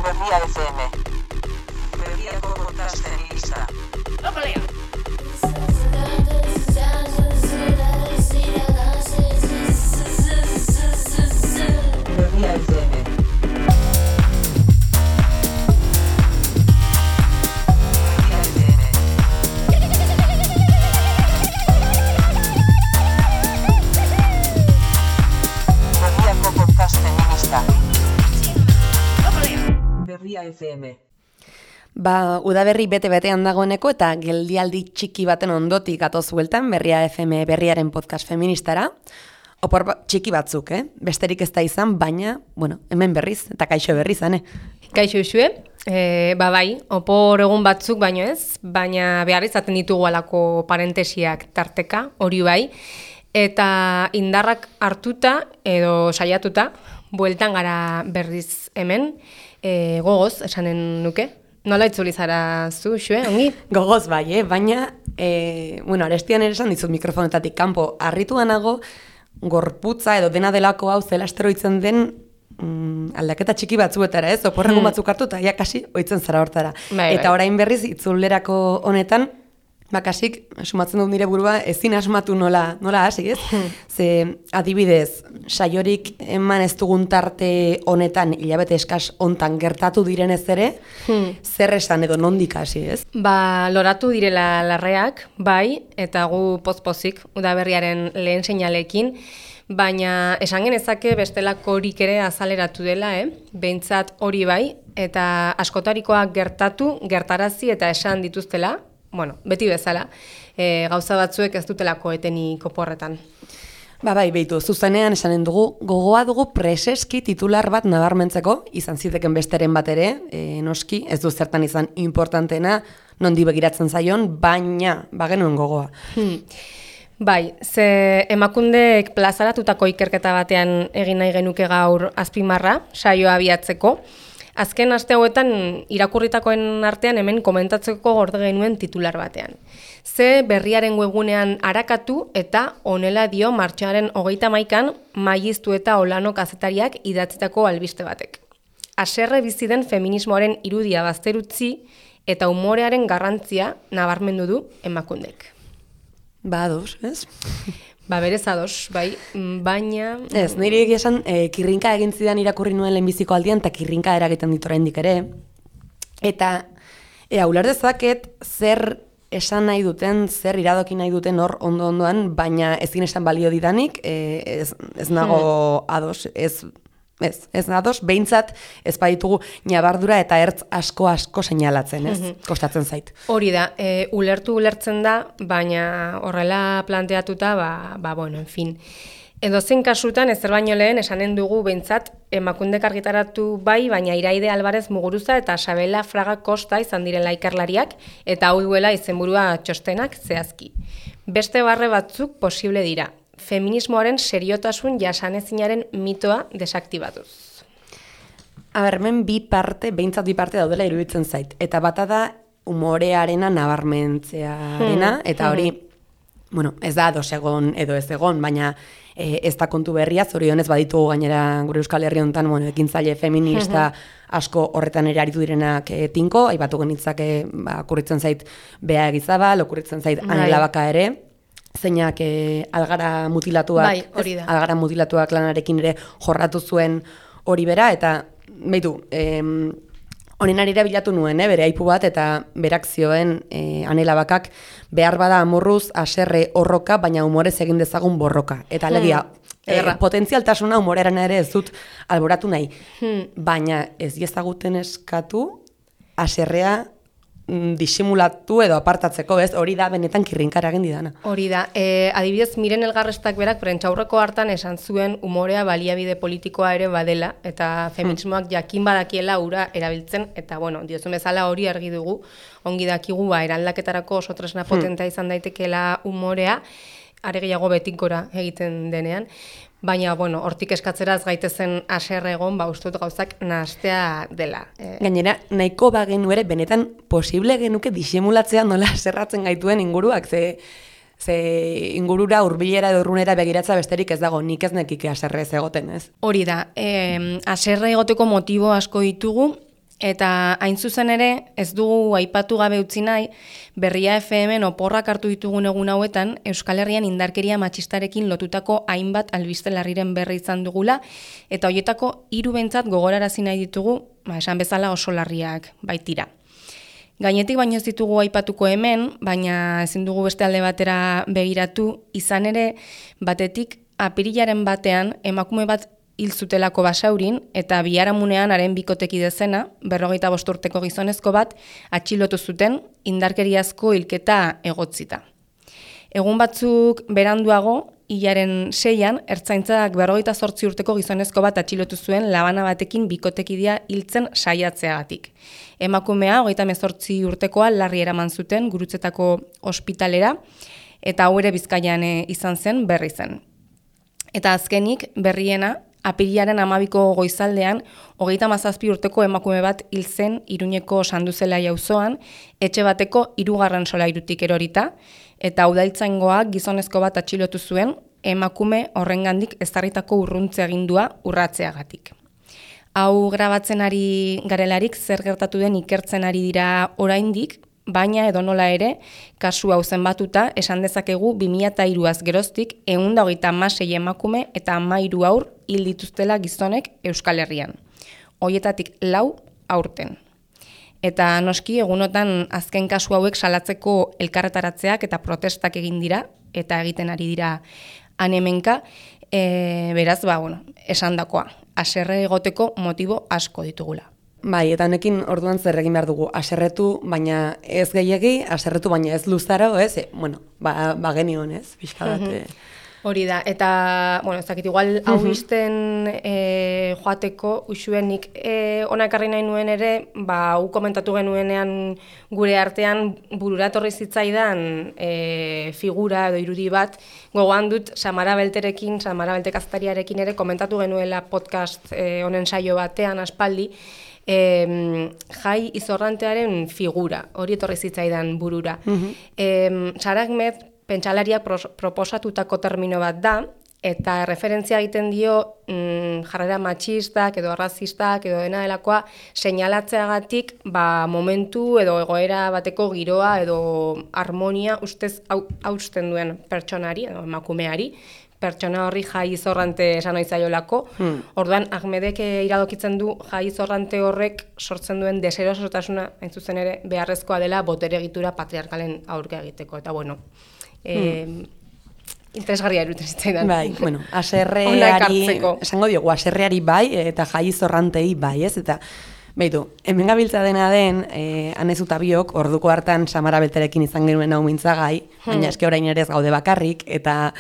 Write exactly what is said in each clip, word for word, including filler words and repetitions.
Berria F M. Berriako podcast feminista. Opalea! Berria F M. Berriako podcast feminista. Berria F M. Ba, udaberri bete-betean dagoeneko eta geldialdi txiki baten ondotik gatoz bueltan Berria F M berriaren podcast feministara. Opor ba, txiki batzuk, eh? Besterik ez da izan, baina, bueno, hemen berriz, eta kaixo berriz, ane? Kaixo usue, e, ba bai, opor egun batzuk baino ez, baina behar izaten ditugu alako parentesiak tarteka, hori bai, eta indarrak hartuta edo saiatuta, bueltan gara berriz hemen, e, gogoz, esanen nuke. Nola itzuli zara zu, xue, ongi? Gogoz bai, eh? Baina, e, bueno, arestian ere esan dizut mikrofonetatik kanpo, harritu nago, gorputza edo dena delako hau zela esteroitzen den mm, aldaketa txiki batzuetara, ez? Oporregun Hmm. batzuk hartu eta ja kasi ohitzen zara hortara. Bai, Eta bai. orain berriz itzulerako honetan, bakasik, sumatzen dut nire burua, ezin asmatu nola, nola hasi, ez? Ze, adibidez, saiorik eman ez dugun tarte honetan, hilabete eskas hontan gertatu direnez ere, Hmm. zer esan edo nondik hasi, ez? Ba, loratu direla larreak, bai, eta gu pozpozik, udaberriaren lehen seinalekin, baina esan genezake bestelakorik ere azaleratu dela, eh? Behintzat hori bai, eta askotarikoak gertatu, gertarazi eta esan dituztela, bueno, beti bezala, e, gauza batzuek ez dutelako etenik oporretan. Ba bai, behitu, zuzenean esanen dugu, gogoa dugu preseski titular bat nabarmentzeko, izan ziteken besteren bat ere, e, noski, ez du zertan izan importantena, nondi begiratzen zaion, baina, bagenuen gogoa. Hmm. Bai, ze emakundek plazaratutako ikerketa batean egin nahi genuke gaur azpimarra, saioa abiatzeko. Azken aste hauetan irakurritakoen artean hemen komentatzeko gorde genuen titular batean. Ze berriaren webgunean arakatu eta honela dio martxoaren hogeita hamaikan Maiztu eta Olano kazetariak idatzitako albiste batek. Haserre bizi den feminismoaren irudia bazterutzi eta umorearen garrantzia nabarmendu du emakundek. Ba, ados, ez? Ba, berez ados, bai, mm, baina... Ez, nire egia esan, e, kirrinka egin zidan irakurri nuen lehenbiziko aldian, eta kirrinka eragiten dit oraindik ere. Eta, ea, uler dezaket, zer esan nahi duten, zer iradoki nahi duten hor ondo-ondoan, baina ezin esan balio didanik, e, ez, ez nago ados, ez... Ez, ez ados, behintzat ez baditugu nabardura eta ertz asko-asko seinalatzen, ez? Kostatzen zait. Hori da, e, ulertu ulertzen da, baina horrela planteatuta, ba, ba bueno, en fin. Edozein kasutan, ezer baino lehen, esanen dugu behintzat, emakundek argitaratu bai, baina Iraide Alvarez Muguruza eta Sabela Fraga Costa izan direla ikerlariak, eta hau duela izenburua txostenak zehazki. Beste barre batzuk posible dira. Feminismoaren seriotasun jasanezinaren mitoa desaktibatuz. A ber, hemen bi parte, behintzat bi parte daudela iruditzen zait. Eta bata da umorearena nabarmentzearena, eta hori, bueno, ez da ados egon edo ez egon, baina e, ez da kontu berria, zorionez baditugu gainera gure Euskal Herri honetan, bueno, ekintzaile feminista asko horretan ere aritu direnak e, tinko, aipatu genitzake, ba, okurritzen zait Bea Egizabal, okurritzen zait Anela Baka ere, zeinak e, algara mutilatuak, bai, hori da. algara mutilatuak lanarekin ere jorratu zuen hori bera, eta behitu, em, honen arira bilatu nuen, eh, bere aipu bat, eta berak zioen e, Anela Bakak behar bada amorruz haserre horroka, baina humorez egin dezagun borroka. Eta alegia, e, potentzialtasuna humoreran ere ez dut alboratu nahi, Hmm. baina ez diezaguten eskatu haserrea disimulatu edo apartatzeko, ez? Hori da benetan kirrinkara egin didana. Hori da, e, adibidez Miren Elgarrestak berak prentsaurreko hartan esan zuen umorea baliabide politikoa ere badela, eta feminismoak jakin badakiela ura erabiltzen, eta bueno, diozun bezala hori argi dugu, ongi dakigu ba, eraldaketarako oso tresna potentea izan daitekeela umorea, are gehiago betikora egiten denean. Baina, bueno, hortik eskatzeraz gaitezen haserre egon, ba, ustut gauzak nahastea dela. E, Gainera, nahiko bagenu ere, benetan posible genuke disimulatzea nola zerratzen gaituen inguruak, ze, ze ingurura hurbilera edo urrunera begiratza besterik ez dago, nik ez nekike haserre ez egoten, ez? Hori da, eh, haserre egoteko motibo asko ditugu, Eta hain zuzen ere, ez dugu aipatu gabe utzi nahi, Berria F M oporrak hartu ditugun egun hauetan, Euskal Herrian indarkeria matxistarekin lotutako hainbat albiste larriren berri izan dugula, eta hoietako hiru behintzat gogorarazi nahi ditugu, ba, esan bezala oso larriak baitira. Gainetik baino ez ditugu aipatuko hemen, baina ezin dugu beste alde batera begiratu, izan ere, batetik apirilaren batean emakume bat hil zutelako Basaurin, eta biharamunean haren bikoteki dezena, berrogeita bost urteko gizonezko bat, atxilotu zuten indarkeriazko hilketa egotzita. Egun batzuk beranduago, hilaren seian, ertzaintzak berrogeita zortzi urteko gizonezko bat atxilotu zuen labana batekin bikotekidia hiltzen saiatzeagatik. Emakumea, hogeita hemezortzi urtekoa, larri eraman zuten Gurutzetako ospitalera, eta hau ere Bizkaian izan zen, berri zen. Eta azkenik, berriena, apirilaren amabiko goizaldean, hogeita hamazazpi urteko emakume bat hil zen Iruñeko Sanduzela auzoan, etxe bateko hirugarren solairutik erorita, eta udaltzaingoak gizonezko bat atxilotu zuen, emakume horrengandik ezarritako urruntze agindua urratzeagatik. Hau grabatzen ari garelarik zer gertatu den ikertzen ari dira oraindik, baina edonola ere, kasu hau zenbatuta, esan dezakegu bi mila hiruaz geroztik ehun eta hogeita hamasei emakume eta hamairu haur hil dituztela gizonek Euskal Herrian. Hoietatik lau aurten. Eta noski egunotan azken kasu hauek salatzeko elkarretaratzeak eta protestak egin dira, eta egiten ari dira hanemenka, e, beraz, ba, bueno, esandakoa, haserre egoteko motibo asko ditugula. Bai, eta honekin orduan zer egin behar dugu, haserretu, baina ez gehiegi, haserretu, baina ez luzaro, ez? E, bueno, ba, ba genion, ez? Pixka bat. Uh -huh. Hori da, eta, bueno, ez dakit, igual hau izten e, joateko, usuenik e, ona ekarri nahi nuen ere, ba, hau komentatu genuenean gure artean bururatorri zitzaidan e, figura edo irudi bat, gogoan dut Samara Belterekin, Samara Belte kaztariarekin ere komentatu genuela podcast e, honen saio batean aspaldi, E, Jai Izorrantearen figura, hori etorri zitzaidan burura. Uh-huh. e, Sara Ahmed pentsalariak proposatutako termino bat da, eta referentzia egiten dio mm, jarrera matxistak edo arrazistak edo dena delakoa seinalatzeagatik ba, momentu edo egoera bateko giroa edo harmonia ustez hausten duen pertsonari edo emakumeari, pertsona horri Jai Izorrante esan ohi zaiolako. Hmm. Orduan, Ahmedek iradokitzen du Jai Izorrante horrek sortzen duen deserosotasuna, hain zuzen ere, beharrezkoa dela botere egitura patriarkalen aurka egiteko. Eta bueno, eh, hmm. interesgarria eruten zitzaidan. Bai, bueno, haserreari, esango diogu, haserreari bai, eta Jai Izorrantei bai, ez? Eta behitu, hemen gabiltza dena den, eh, anezuta biok, orduko hartan Samara Belterekin izan genuen hau mintzagai, hmm. baina eske orain ere ez gaude bakarrik, eta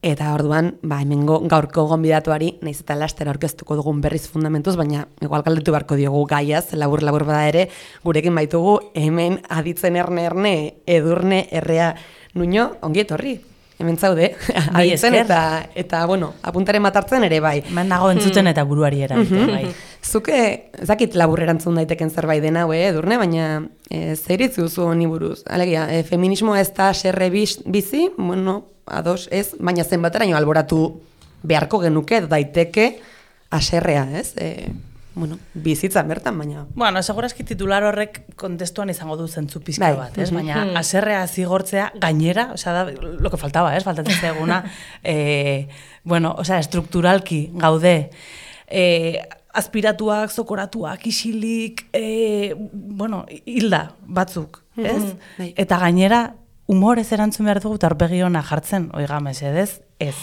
Eta orduan, ba, hemengo gaurko gonbidatuari, nahiz eta laster aurkeztuko dugun berriz fundamentuz, baina igual galdetu beharko diogu gaiaz, labur-labur bada ere, gurekin baitugu hemen aditzen erne-erne, edurne, errea, nuño, ongi etorri. Hemen zaude, aditzen eta, eta, bueno, apuntaren matartzen ere bai. Man nago entzuten eta buruari eragiten, bai. Zuke, zakit labur erantzun daiteken zerbait dena, we, edurne, baina e, zer iritzi duzu honi buruz? Alegia, e, feminismo ez da serre bizi, bueno, ados, ez, baina zenbateraino alboratu beharko genuke daiteke haserrea, ez? E, bueno, bizitzan bertan, baina... Bueno, segurazki titular horrek kontestuan izango du zentzu pizka bat, ez? Baina haserrea zigortzea gainera, osea, da, lo que faltaba, ez? Faltatzen zaiguna, eh, bueno, osea, estrukturalki gaude, eh, aspiratuak, zokoratuak, isilik, eh, bueno, hilda batzuk, ez? Eta gainera, humorez erantzun behar dugu, eta horpegi hona jartzen, oiga, mesedez, ez.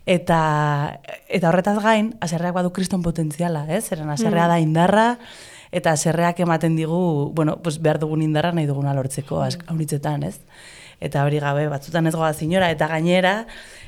Eta, eta horretaz gain, haserreak badu kriston potentziala, ez? Zeren haserrea da indarra, eta haserreak ematen digu, bueno, pues behar dugun indarra nahi duguna lortzeko, hauritzetan, ez? Eta hori gabe, batzutan ez goaz inora, eta gainera,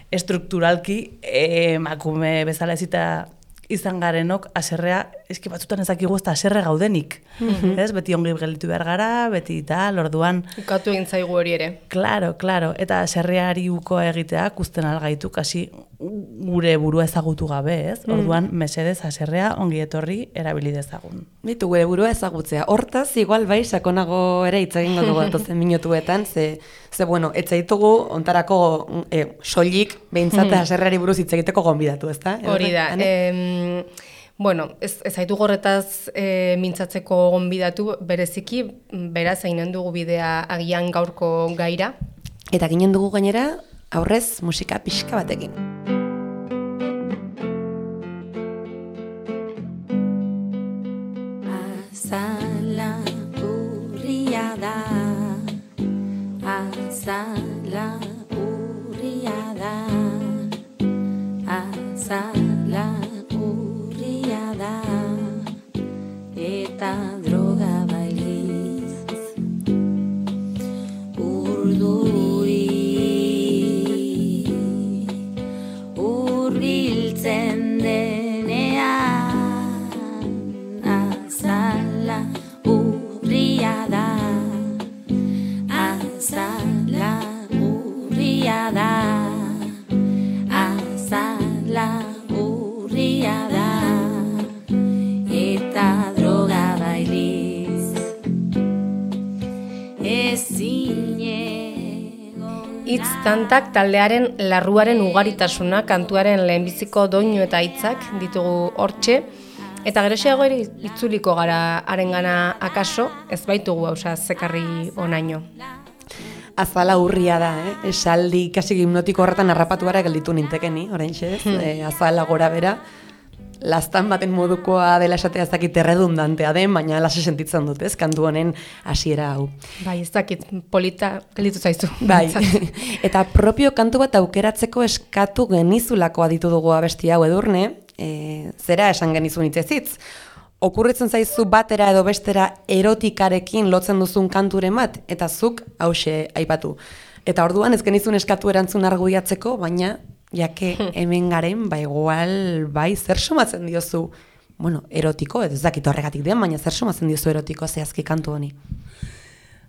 estrukturalki, emakume bezala ezita izan garenok, haserrea, eski batzutan ezakigu ez da haserre gaudenik. Mm-hmm. Ez? Beti ongi gelditu behar gara, beti tal, orduan... Ukatu egin zaigu hori ere. Claro, claro. Eta haserreari ukoa egiteak usten algaitu, kasi gure burua ezagutu gabe, ez? Orduan, mm. mesedez haserrea ongi etorri erabili dezagun. Bitu, gure burua ezagutzea. Hortaz, igual bai, sakonago ere hitz egingo dugu datozen minutuetan, ze, ze bueno, etzaitugu ontarako e, soilik behintzat haserreari buruz hitz egiteko gonbidatu, ezta? Hori da. Em, Bueno, ez, ez haitu gorretaz e, mintzatzeko gonbidatu bereziki, beraz eginen dugu bidea agian gaurko gaira. Eta ginen dugu gainera, aurrez musika pixka batekin. Azala urria da, azala urria da, azala urria da, eta droga bailiz urduri urbiltzen denean, azala urria da, azala urria da, azala urria da, eta droga bailiz ezinego. Hitz kantak taldearen larruaren ugaritasuna, kantuaren lehenbiziko doinu eta hitzak ditugu hortxe, eta geroxeago ere itzuliko gara harengana akaso, ez baitugu hausa zekarri onaino. Azala urria da, eh? Esaldi kasi hipnotiko horretan harrapatu gara gelditu nintekeni, oraintxe ez, e, azala gora bera. Lastan baten modukoa dela esatea ez dakit erredundantea den, baina lase sentitzen dut, ez, kantu honen hasiera hau. Bai, ez dakit, polita gelditu zaizu. Bai, eta propio kantu bat aukeratzeko eskatu genizulako aditu dugu abesti hau Edurne, e, zera esan genizun hitzezitz. Okurritzen zaizu batera edo bestera erotikarekin lotzen duzun kanturen bat, eta zuk hause aipatu. Eta orduan ez genizun eskatu erantzun argudiatzeko, baina jake hemen garen, ba igual, bai, zer somatzen diozu, bueno, erotiko, ez dakit horregatik den, baina zer somatzen diozu erotiko zehazki kantu honi.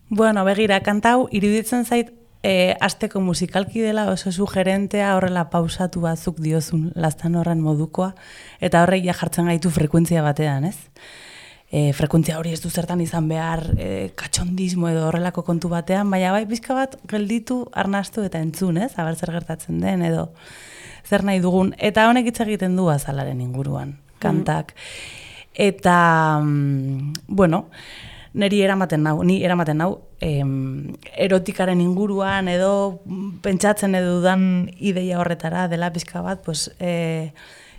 Bueno, begira, kantau, iruditzen zait, e, asteko musikalki dela oso sugerentea horrela pausatu batzuk diozun lastan horren modukoa, eta horrek ja jartzen gaitu frekuentzia batean, ez? E, frekuentzia hori ez du zertan izan behar e, katxondismo edo horrelako kontu batean, baina bai pizka bat gelditu, arnastu eta entzun, ez? Aber zer gertatzen den edo zer nahi dugun. Eta honek hitz egiten du azalaren inguruan, kantak. Eta, mm, bueno, niri eramaten nau, ni eramaten nau, em, erotikaren inguruan edo pentsatzen edo dudan ideia horretara dela pizka bat, pues, e,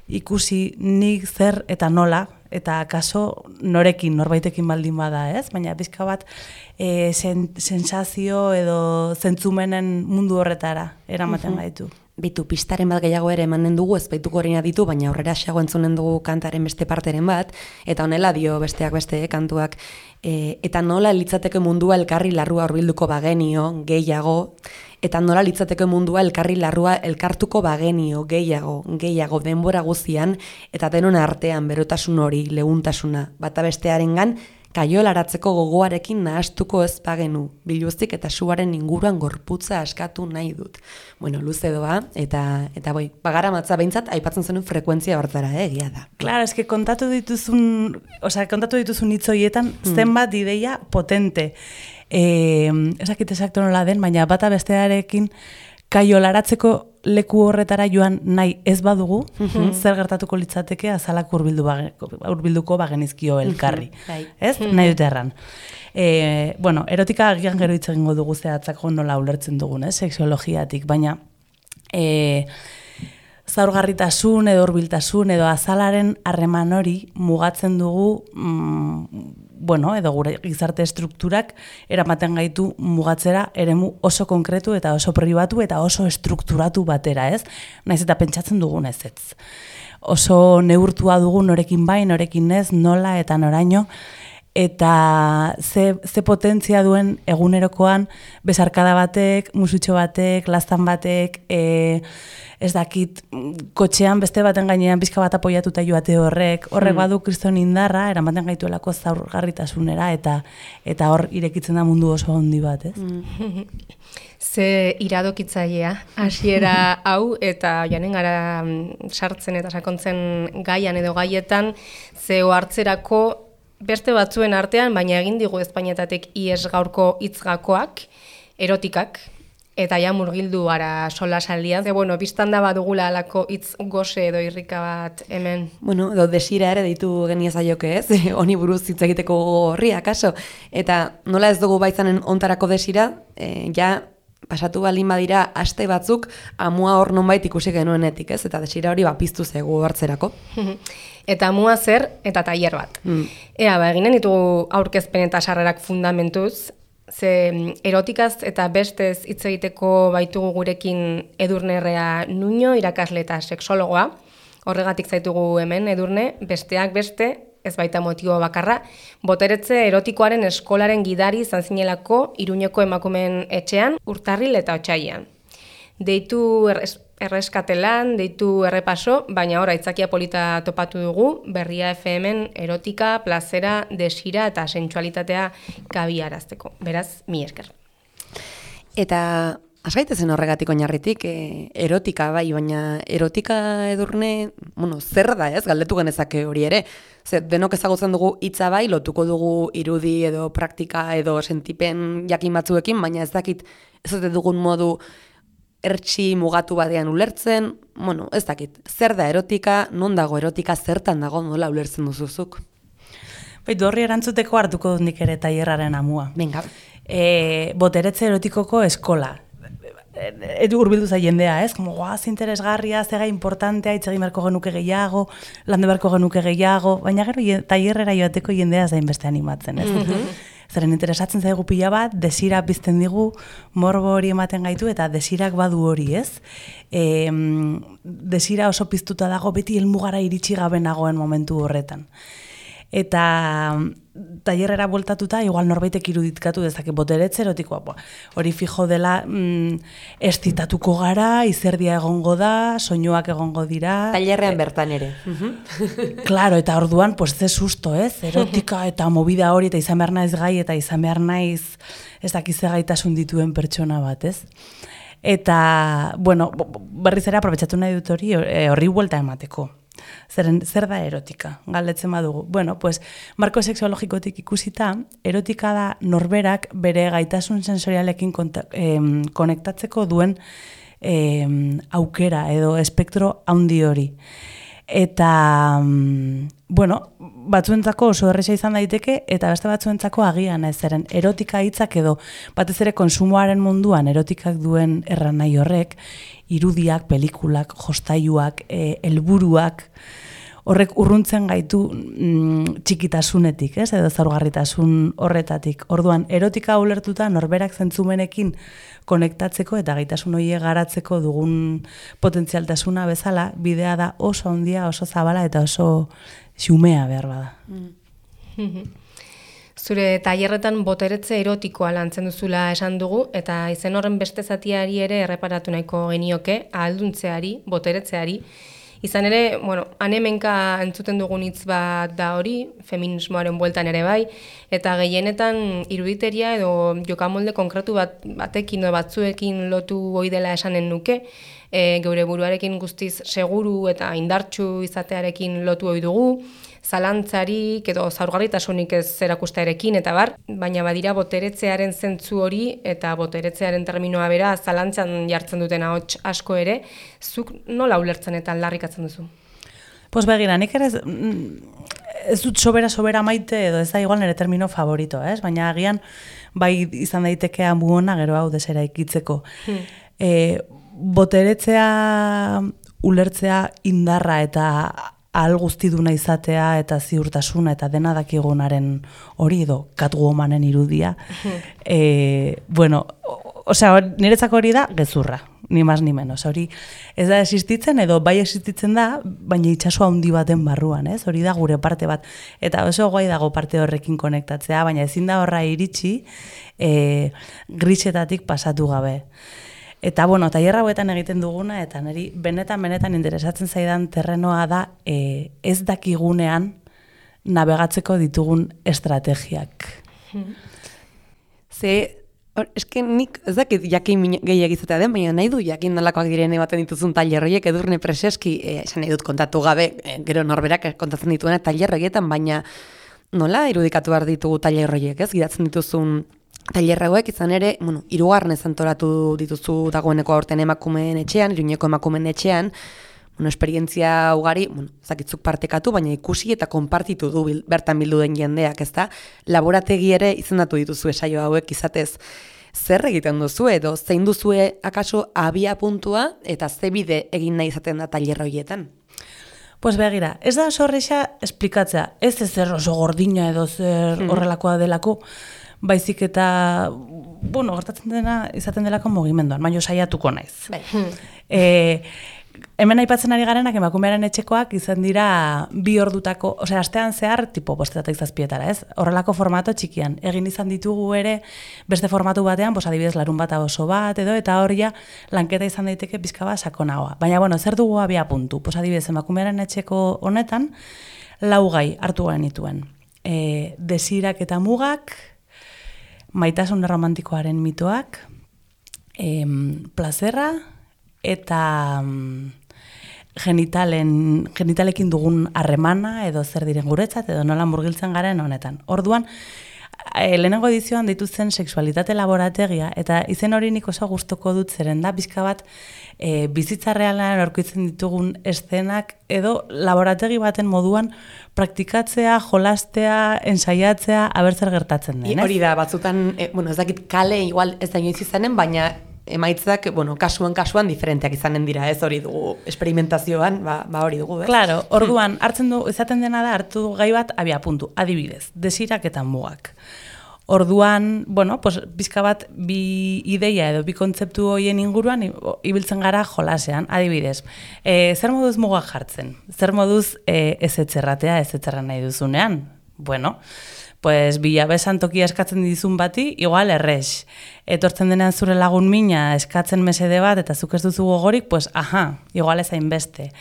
ikusi nik zer eta nola, eta akaso norekin, norbaitekin baldin bada, ez? Baina pizka bat e, sen, sensazio edo zentzumenen mundu horretara eramaten gaitu. Bitu, pistaren bat gehiago ere emanen dugu, ez baituko horreina ditu, baina aurrera xago entzunen dugu kantaren beste parteren bat, eta honela dio besteak beste kantuak, e, eta nola litzateke mundua elkarri larrua hurbilduko bagenio, gehiago, eta nola litzateke mundua elkarri larrua elkartuko bagenio, gehiago, gehiago, denbora guzian, eta denon artean berotasun hori, leuntasuna, bata bestearengan, kaiolaratzeko gogoarekin nahastuko ez bagenu, biluztik eta suaren inguruan gorputza askatu nahi dut. Bueno, luze doa, eta, eta boi, bagara matza behintzat, aipatzen zenuen frekuentzia hortara, eh, egia da. Claro, eske kontatu dituzun, osea, kontatu dituzun hitz horietan zenbat ideia potente. Eh, ezakit exacto nola den, baina bata bestearekin kaiolaratzeko leku horretara joan nahi ez badugu, mm-hmm. zer gertatuko litzateke azalak hurbildu bage, hurbilduko bagenizkio elkarri. Mm-hmm. Ez? Mm-hmm. Nahi dute erran. E, bueno, erotika agian gero hitz egingo dugu zehatzako nola ulertzen dugun, eh? Sexiologiatik, baina e, zaurgarritasun edo hurbiltasun edo azalaren harreman hori mugatzen dugu mm, bueno, edo gure gizarte estrukturak eramaten gaitu mugatzera eremu oso konkretu eta oso pribatu eta oso estrukturatu batera, ez? Naiz eta pentsatzen dugun ez ez. Oso neurtua dugu norekin bai, norekin ez, nola eta noraino, eta ze, ze potentzia duen egunerokoan bezarkada batek, musutxo batek, lastan batek, e, ez dakit, kotxean beste baten gainean pizka bat apoiatuta joate horrek, horrek badu kriston indarra, eramaten gaituelako zaurgarritasunera, eta eta hor irekitzen da mundu oso handi bat, ez? Mm. Ze iradokitzailea, hasiera hau, eta janen gara sartzen eta sakontzen gaian edo gaietan, ze ohartzerako beste batzuen artean, baina egin digu Espainiatatek ies gaurko hitzgakoak, erotikak, eta ja murgildu ara solasaldian. Ze, bueno, biztan da badugula alako hitz gose edo irrika bat hemen. Bueno, edo desira ere deitu geniazaioke, ez? Honi buruz hitz egiteko horria, kaso. Eta nola ez dugu baitzanen ontarako desira, e, ja pasatu balin badira aste batzuk amua hor nonbait ikusi genuenetik, ez? Eta desira hori bapiztu zegu hartzerako. Eta amua zer eta tailer bat. Mm. Ea, ba, eginen ditugu aurkezpen eta sarrerak fundamentuz, ze erotikaz eta bestez hitz egiteko baitugu gurekin Edurnerrea Nuño, irakasle eta sexologoa. Horregatik zaitugu hemen Edurne, besteak beste, ez baita motibo bakarra, boteretze erotikoaren eskolaren gidari izan zinelako Iruñeko emakumeen etxean, Urtarril eta Otsailean. Deitu erres, erreskatelan, deitu errepaso, baina ora aitzakia polita topatu dugu, Berria F M-en erotika, plazera, desira eta sentsualitatea kabiarazteko. Beraz, mi esker. Eta asgaitezen horregatik oinarritik, e, erotika bai, baina erotika Edurne, bueno, zer da ez, galdetu genezake hori ere. Zer, denok ezagutzen dugu hitza bai, lotuko dugu irudi edo praktika edo sentipen jakin batzuekin, baina ez dakit ez dut dugun modu ertsi mugatu batean ulertzen, bueno, ez dakit, zer da erotika, non dago erotika, zertan dago, nola ulertzen duzuzuk? Baitu horri erantzuteko hartuko dut nik ere tailerraren amua. Venga. E, boteretze erotikoko eskola. Edu urbildu za jendea, ez? Como, guaz, interesgarria, zega importantea, hitz egin beharko genuke gehiago, lande beharko genuke gehiago, baina gero tailerrera joateko jendea zain beste animatzen, ez? Zeren interesatzen zaigu pila bat, desira pizten digu, morbo hori ematen gaitu, eta desirak badu hori, ez? E, desira oso piztuta dago beti helmugara iritsi gabe nagoen momentu horretan. Eta tailerrera bueltatuta, igual norbaitek iruditkatu dezake boteretze erotikoa. Hori fijo dela, mm, estitatuko gara, izerdia egongo da, soinuak egongo dira. Tailerrean bertan ere. Claro, eta orduan, pues ze susto, ez? Erotika eta movida hori, eta izan behar naiz gai, eta izan behar naiz ez dakize gaitasun dituen pertsona bat, ez? Eta, bueno, berriz ere aprobetxatu nahi dut hori, horri buelta emateko. Zeren, zer da erotika? Galdetzen badugu. Bueno, pues, marko sexologikotik ikusita, erotika da norberak bere gaitasun sensorialekin konta, eh, konektatzeko duen eh, aukera edo espektro handi hori. Eta, bueno, batzuentzako oso erresa izan daiteke, eta beste batzuentzako agian ez, zeren erotika hitzak edo batez ere konsumoaren munduan erotikak duen erranai horrek, irudiak, pelikulak, jostailuak, e, helburuak, horrek urruntzen gaitu mm, txikitasunetik, ez? Edo zaurgarritasun horretatik. Orduan, erotika ulertuta norberak zentzumenekin konektatzeko eta gaitasun horiek garatzeko dugun potentzialtasuna bezala, bidea da oso handia, oso zabala eta oso xumea behar bada. Mm. Zure tailerretan boteretze erotikoa lantzen duzula esan dugu, eta izen horren beste zatiari ere erreparatu nahiko genioke, ahalduntzeari, boteretzeari. Izan ere, bueno, hanemenka entzuten dugun hitz bat da hori, feminismoaren bueltan ere bai, eta gehienetan iruditeria edo jokamolde konkretu bat, batekin edo batzuekin lotu ohi dela esanen nuke, e, geure buruarekin guztiz seguru eta indartsu izatearekin lotu ohi dugu, zalantzarik edo zaurgarritasunik ez erakustearekin eta bar, baina badira boteretzearen zentzu hori eta boteretzearen terminoa bera zalantzan jartzen duten ahots asko ere, zuk nola ulertzen eta aldarrikatzen duzu? Pues begira, nik ere ez, ez dut sobera-sobera maite edo ez da igual nire termino favorito, ez? Baina agian bai izan daiteke amuona gero hau desera ikitzeko. Hmm. E, boteretzea ulertzea indarra eta ahal guztiduna izatea eta ziurtasuna eta dena dakigunaren hori edo Catwomanen irudia. e, bueno, osea, niretzako hori da gezurra, ni mas ni menos. Hori ez da existitzen edo bai existitzen da, baina itsaso handi baten barruan, ez? Hori da gure parte bat. Eta oso guai dago parte horrekin konektatzea, baina ezin da horra iritsi e, grisetatik pasatu gabe. Eta, bueno, tailerra hauetan egiten duguna, eta niri benetan-benetan interesatzen zaidan terrenoa da e, ez dakigunean navegatzeko ditugun estrategiak. Ze, or, eske nik ez dakit jakin gehiago izatea den, baina nahi du jakin nolakoak diren ematen dituzun tailerroiek Edurne Preseski, e, esan nahi dut kontatu gabe, e, gero norberak kontatzen dituena tailerroietan, baina nola irudikatu behar ditugu tailerroiek, ez? Gidatzen dituzun tailer hauek izan ere, bueno, hirugarrenez antolatu dituzu dagoeneko aurten emakumeen etxean, Iruñeko emakumeen etxean, bueno, esperientzia ugari, bueno, zakitzuk partekatu, baina ikusi eta konpartitu du bil, bertan bildu den jendeak, ezta? Laborategi ere izendatu dituzu saio hauek izatez. Zer egiten duzu edo zein duzue akaso abia puntua eta ze bide egin nahi izaten da tailer horietan? Pues begira, ez da oso horreixa esplikatzea, ez ez zer oso gordina edo zer horrelakoa delako, baizik eta, bueno, gertatzen dena izaten delako mugimenduan, baina saiatuko naiz. Bai. E, hemen aipatzen ari garenak emakumearen etxekoak izan dira bi ordutako, osea, astean zehar, tipo bostetatik zazpietara, ez? Horrelako formato txikian. Egin izan ditugu ere beste formatu batean, pues adibidez larun bat oso bat edo, eta hor ja lanketa izan daiteke pizka bat sakonagoa. Baina, bueno, zer dugu abia puntu? Pues adibidez, emakumearen etxeko honetan, lau gai hartu genituen. E, desirak eta mugak, maitasun romantikoaren mitoak, em, plazerra, eta mm, genitalen, genitalekin dugun harremana edo zer diren guretzat edo nola murgiltzen garen honetan. Orduan, e, lehenengo edizioan dituzen sexualitate laborategia eta izen hori nik oso gustoko dut zeren da bizka bat e, bizitza realan aurkitzen ditugun eszenak edo laborategi baten moduan praktikatzea, jolastea, ensaiatzea, abertzer gertatzen den. Hori da, batzutan, e, bueno, ez dakit kale igual ez da inoiz izanen, baina emaitzak, bueno, kasuan kasuan diferenteak izanen dira, ez hori dugu experimentazioan, ba, ba hori dugu, ez? Claro, orduan, hartzen du, izaten dena da, hartu gai bat, abia puntu, adibidez, desirak eta mugak. Orduan, bueno, pues, bizka bat bi ideia edo bi kontzeptu horien inguruan ibiltzen gara jolasean, adibidez. E, zer moduz mugak jartzen? Zer moduz e, ez etxerratea, ez etxerra nahi duzunean? Bueno, pues bilabesan tokia eskatzen dizun bati, igual errex. Etortzen denean zure lagun mina eskatzen mesede bat eta zuk ez duzu gogorik, pues aha, igual ez hainbeste.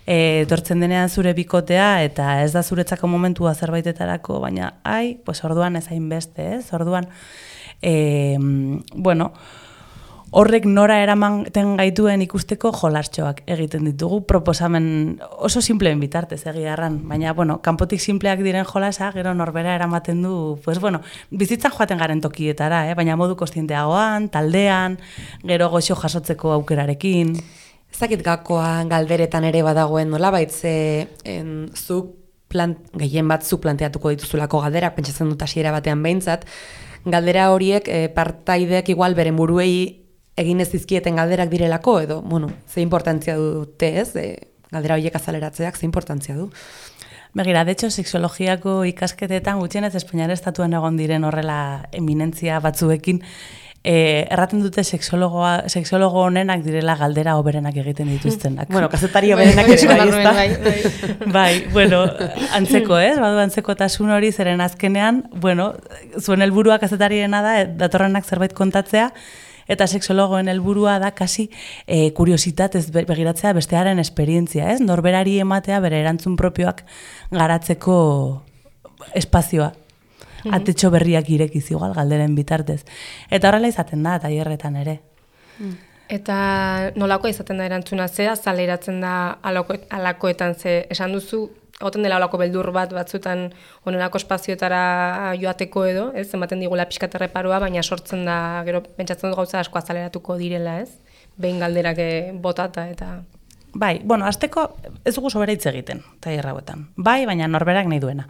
E, etortzen denean zure bikotea eta ez da zuretzako momentua zerbaitetarako, baina ai, pues orduan ez hainbeste, ez? Orduan, e, bueno, horrek nora eramaten gaituen ikusteko jolartxoak egiten ditugu, proposamen oso simpleen bitartez egiarran, baina, bueno, kanpotik simpleak diren jolasa, gero norbera eramaten du, pues, bueno, bizitzan joaten garen tokietara, eh? Baina modu kostienteagoan, taldean, gero goxo jasotzeko aukerarekin. Ezakit gakoan galderetan ere badagoen nola baitze en, zuk plant, gehien bat zuk planteatuko dituzulako galderak, pentsatzen dut hasiera batean behintzat, galdera horiek e, partaideak igual beren buruei egin ez dizkieten galderak direlako, edo, bueno, ze importantzia dute ez, e, galdera horiek azaleratzeak, ze importantzia du. Begira, de hecho, sexologiako ikasketetan gutxienez Espainiar estatuan egon diren horrela eminentzia batzuekin, e, erraten dute sexologoa, sexologo honenak direla galdera hoberenak egiten dituztenak. Bueno, kazetari hoberenak ere bai, ezta? Bai, bai. Bai, bueno, antzeko, ez? Badu antzekotasun hori zeren azkenean, bueno, zuen helburua kazetariena da, datorrenak zerbait kontatzea, eta sexologoen helburua da kasi e, kuriositatez begiratzea bestearen esperientzia, ez? Norberari ematea bere erantzun propioak garatzeko espazioa. Atetxo berriak irekiz igual galderen bitartez. Eta horrela izaten da, tailerretan ere. Eta nolako izaten da erantzuna zea, zaleratzen da alako, alakoetan ze esan duzu, egoten dela olako beldur bat batzutan onelako espazioetara joateko edo, ez, ematen digula pixkat erreparua, baina sortzen da, gero pentsatzen dut gauza asko azaleratuko direla, ez, behin galderak botata eta... Bai, bueno, hasteko ez dugu sobera hitz egiten, tailer hauetan. Bai, baina norberak nahi duena.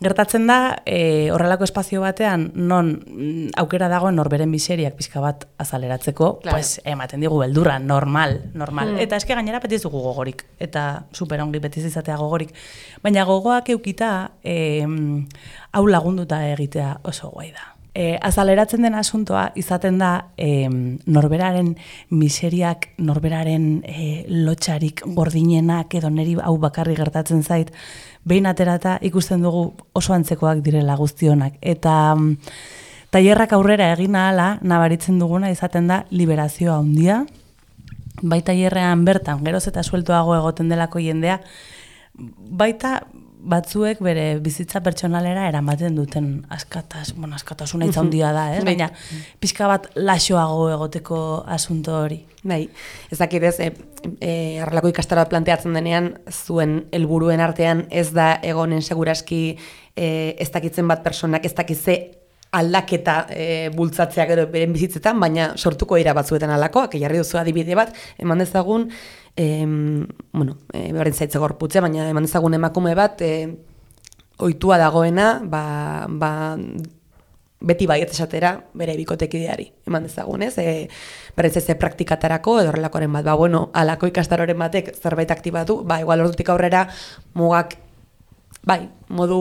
Gertatzen da, e, horrelako espazio batean, non mm, aukera dagoen norberen miseriak pixka bat azaleratzeko, claro. Pues ematen digu beldurra, normal, normal. Mm. Eta eske gainera beti ez dugu gogorik, eta superongi beti izatea gogorik. Baina gogoak eukita, e, hau lagunduta egitea oso guai da. E, azaleratzen den asuntoa izaten da e, norberaren miseriak, norberaren e, lotxarik gordinenak edo neri hau bakarri gertatzen zait, behin aterata ikusten dugu oso antzekoak direla guztionak. Eta mm, tailerrak aurrera egin ahala nabaritzen duguna izaten da liberazioa handia, bai tailerrean bertan, geroz eta sueltoago egoten delako jendea, baita batzuek bere bizitza pertsonalera eramaten duten askatas, bueno, askatasuna hitza handia da, ez? Baina pixka bat laxoago egoteko asunto hori. Bai, ez dakidez, e, e, arrelako ikastaro planteatzen denean, zuen helburuen artean ez da egonen seguraski e, ez dakitzen bat personak ez dakitze aldaketa e, bultzatzea gero beren bizitzetan, baina sortuko dira batzuetan alakoak, jarri duzu adibide bat, eman dezagun, e, bueno, e, beren zaitze gorputze, baina eman dezagun emakume bat, e, ohitua dagoena, ba, ba, beti baiet esatera bere bikotekideari, eman dezagun, ez? E, berriz ez praktikatarako edo horrelakoren bat, ba, bueno, alako ikastaroren batek zerbait aktibatu, ba, igual ordutik aurrera mugak, bai, modu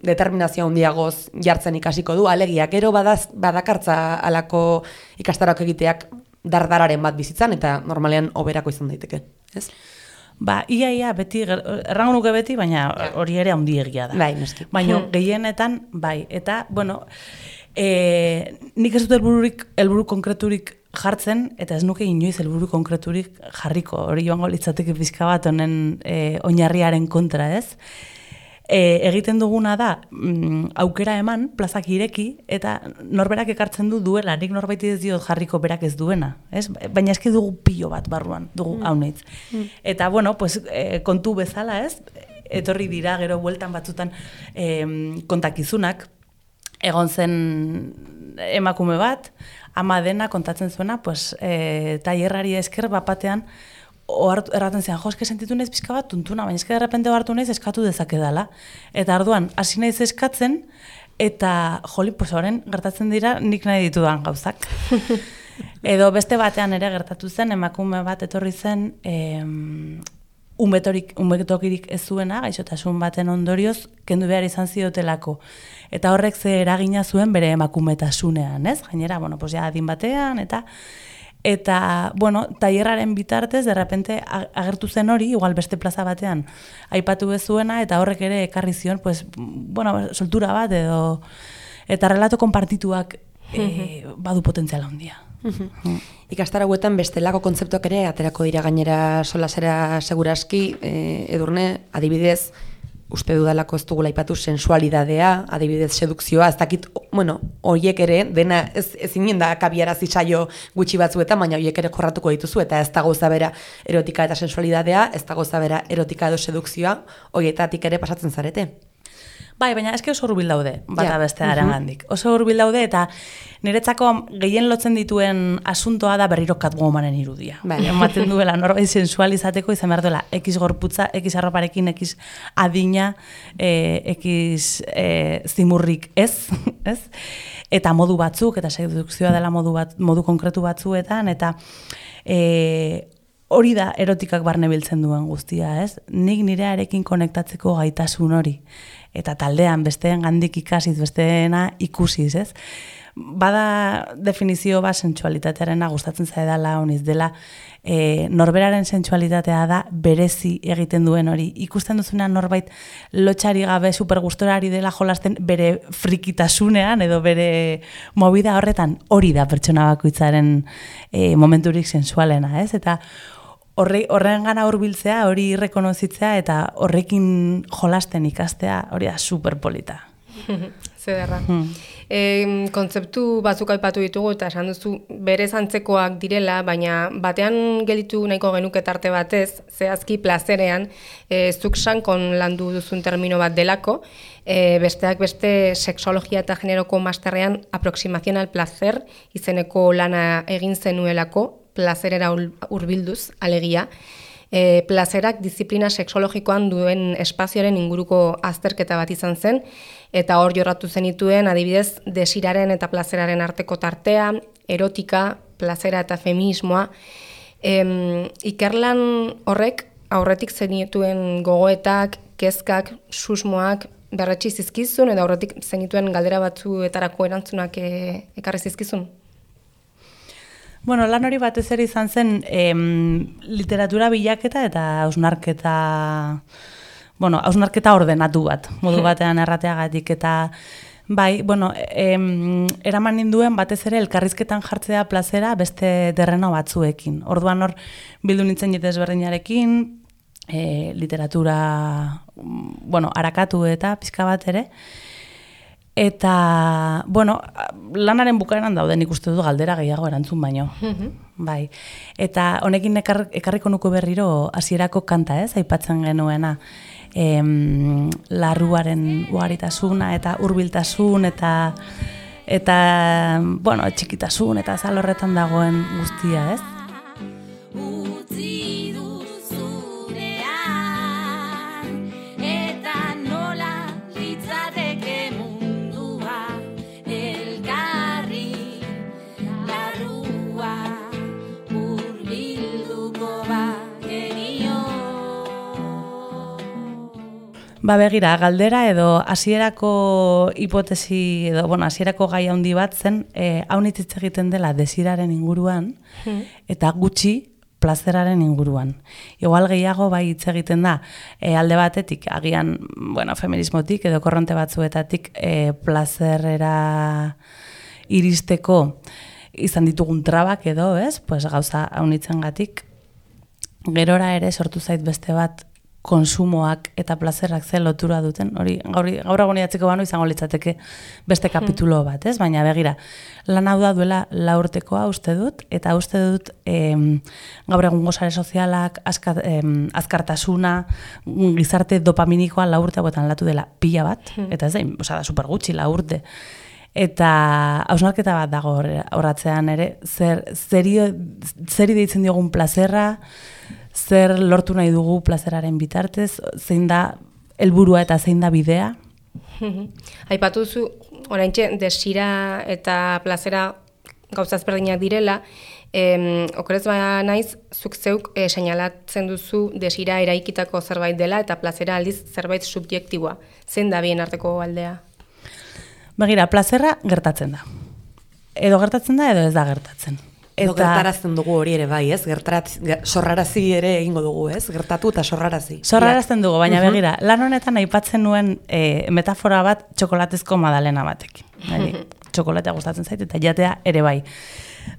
determinazio handiagoz jartzen ikasiko du, alegia, gero badaz, badakartza alako ikastaroak egiteak dardararen bat bizitzan, eta normalean oberako izan daiteke, ez? Ba, ia, ia, beti, errango nuke beti, baina hori ere handiegia da. Bai, noski. Baina gehienetan, bai, eta, bueno, e, nik ez dut helbururik, helburu konkreturik jartzen, eta ez nuke inoiz helburu konkreturik jarriko, hori joango litzateke pizka bat honen e, oinarriaren kontra, ez? E, egiten duguna da, mm, aukera eman, plazak ireki, eta norberak ekartzen du duela, nik norbaiti ez diot jarriko berak ez duena, ez? Baina eski dugu pilo bat barruan, dugu mm. haunitz. Mm. Eta, bueno, pues, e, kontu bezala, ez? Etorri dira, gero bueltan batzutan e, kontakizunak, egon zen emakume bat, ama dena kontatzen zuena, pues, e, tailerrari esker bapatean, erraten zean, jo, eske sentitu naiz pizka bat tuntuna, baina eske derrepente hartu naiz eskatu dezakedala. Eta orduan, hasi naiz eskatzen, eta, joli, pues, horren gertatzen dira nik nahi ditudan gauzak. Edo beste batean ere gertatu zen, emakume bat etorri zen, em, umetorik, umetokirik ez zuena, gaixotasun baten ondorioz, kendu behar izan ziotelako. Eta horrek ze eragina zuen bere emakumetasunean, ez? Gainera, bueno, pues ja adin batean, eta... Eta, bueno, tailerraren bitartez, derrepente agertu zen hori, igual beste plaza batean, aipatu bezuena, eta horrek ere ekarri zion, pues, bueno, soltura bat, edo, eta relato konpartituak e, badu potentziala handia. Mm. Ikastaro hauetan bestelako kontzeptuak ere, aterako dira gainera solasera seguraski, e, edurne, adibidez, uste dudalako ez dugula aipatu sensualidadea, adibidez sedukzioa, ez dakit, bueno, horiek ere, dena ez, ez inen da kabiarazi saio gutxi batzuetan, baina horiek ere jorratuko dituzu, eta ez da gauza bera erotika eta sensualidadea, ez da gauza bera erotika edo sedukzioa, horietatik ere pasatzen zarete. Bai, baina eske oso hurbil daude, bata beste arangandik. Oso hurbil daude, eta niretzako gehien lotzen dituen asuntoa da berriro Catwomanen irudia. Vale. Ematen duela, norbait sensualizateko izan behar duela, ekiz gorputza, ekiz arroparekin, ekiz adina, eh, ekiz eh, zimurrik ez, ez? Eta modu batzuk, eta sedukzioa dela modu, bat, modu konkretu batzuetan, eta... Eh, hori da erotikak barne biltzen duen guztia, ez? Nik nirearekin konektatzeko gaitasun hori. Eta taldean besteen gandik ikasiz, besteena ikusiz, ez? Bada definizio bat sentsualitatearena gustatzen zaidala, honiz dela, e, norberaren sentsualitatea da berezi egiten duen hori. Ikusten duzunean norbait lotxari gabe supergustorari dela jolasten bere frikitasunean edo bere movida horretan hori da pertsona bakoitzaren e, momenturik sensualena, ez? Eta Horre, horren gana hurbiltzea, hori rekonozitzea eta horrekin jolasten ikastea, hori da superpolita. Zederra. Hmm. E, kontzeptu batzuk aipatu ditugu eta esan duzu berez antzekoak direla, baina batean gelditu nahiko genuke tarte batez, zehazki plazerean, e, zuk sankon landu duzun termino bat delako, e, besteak beste sexologia eta generoko masterrean aproximación al placer izeneko lana egin zenuelako, plazerera hurbilduz, alegia. E, plazerak disiplina sexologikoan duen espazioaren inguruko azterketa bat izan zen, eta hor jorratu zenituen, adibidez, desiraren eta plazeraren arteko tartea, erotika, plazera eta feminismoa. E, ikerlan horrek aurretik zenituen gogoetak, kezkak, susmoak, berretsi zizkizun, edo aurretik zenituen galdera batzuetarako erantzunak e, ekarri zizkizun? Bueno, lan hori batez ere izan zen em, literatura bilaketa eta hausnarketa, bueno, hausnarketa ordenatu bat, modu batean errateagatik, eta bai, bueno, em, eraman ninduen batez ere elkarrizketan jartzea plazera beste terreno batzuekin. Orduan hor bildu nintzen jete ezberdinarekin, e, literatura, bueno, arakatu eta pizka bat ere, eta, bueno, lanaren bukaeran daude nik uste du galdera gehiago erantzun baino. Mm-hmm. Bai. Eta honekin ekar, ekarriko nuko berriro hasierako kanta, ez, aipatzen genuena. Em, larruaren ugaritasuna eta hurbiltasun eta Eta, bueno, txikitasun eta azal horretan dagoen guztia, ez? Utzi du zurean, eta nola litzateke mundua, elkarri larrua, hurbilduko bagenio. Ba begira, galdera edo hasierako hipotesi edo bueno, hasierako gai handi bat zen, eh hau hitz egiten dela desiraren inguruan eta gutxi plazeraren inguruan. Igual gehiago bai hitz egiten da e, alde batetik agian, bueno, feminismotik edo korronte batzuetatik e, plazerera iristeko izan ditugun trabak edo, ez? Pues gauza haunitzengatik gerora ere sortu zait beste bat konsumoak eta plazerrak ze lotura duten, hori gaur gaur egun idatziko banu izango litzateke beste kapitulo bat, ez? Baina begira, lan hau da duela lau urtekoa uste dut, eta uste dut em, gaur egungo sare sozialak, azka, em, azkartasuna, gizarte dopaminikoa lau urte hauetan latu dela pila bat, eta ez da, osea, da super gutxi lau urte. Eta hausnarketa bat dago horratzean ere, zer, zeri, zeri deitzen diogun plazerra, zer lortu nahi dugu plazeraren bitartez, zein da helburua eta zein da bidea? Aipatu zu, oraintxe desira eta plazera gauza ezberdinak direla, em, okerez ba naiz, zuk zeuk e, seinalatzen duzu desira eraikitako zerbait dela eta plazera aldiz zerbait subjektiboa. Zein da bien arteko aldea? Begira, plazerra gertatzen da. Edo gertatzen da, edo ez da gertatzen. Edo gertarazten dugu hori ere bai, ez? Gertaraz, sorrarazi ere egingo dugu, ez? Gertatu eta sorrarazi. Sorrarazten dugu, baina begira, lan honetan aipatzen nuen e, metafora bat txokolatezko madalena batekin. Txokolatea gustatzen zait eta jatea ere bai.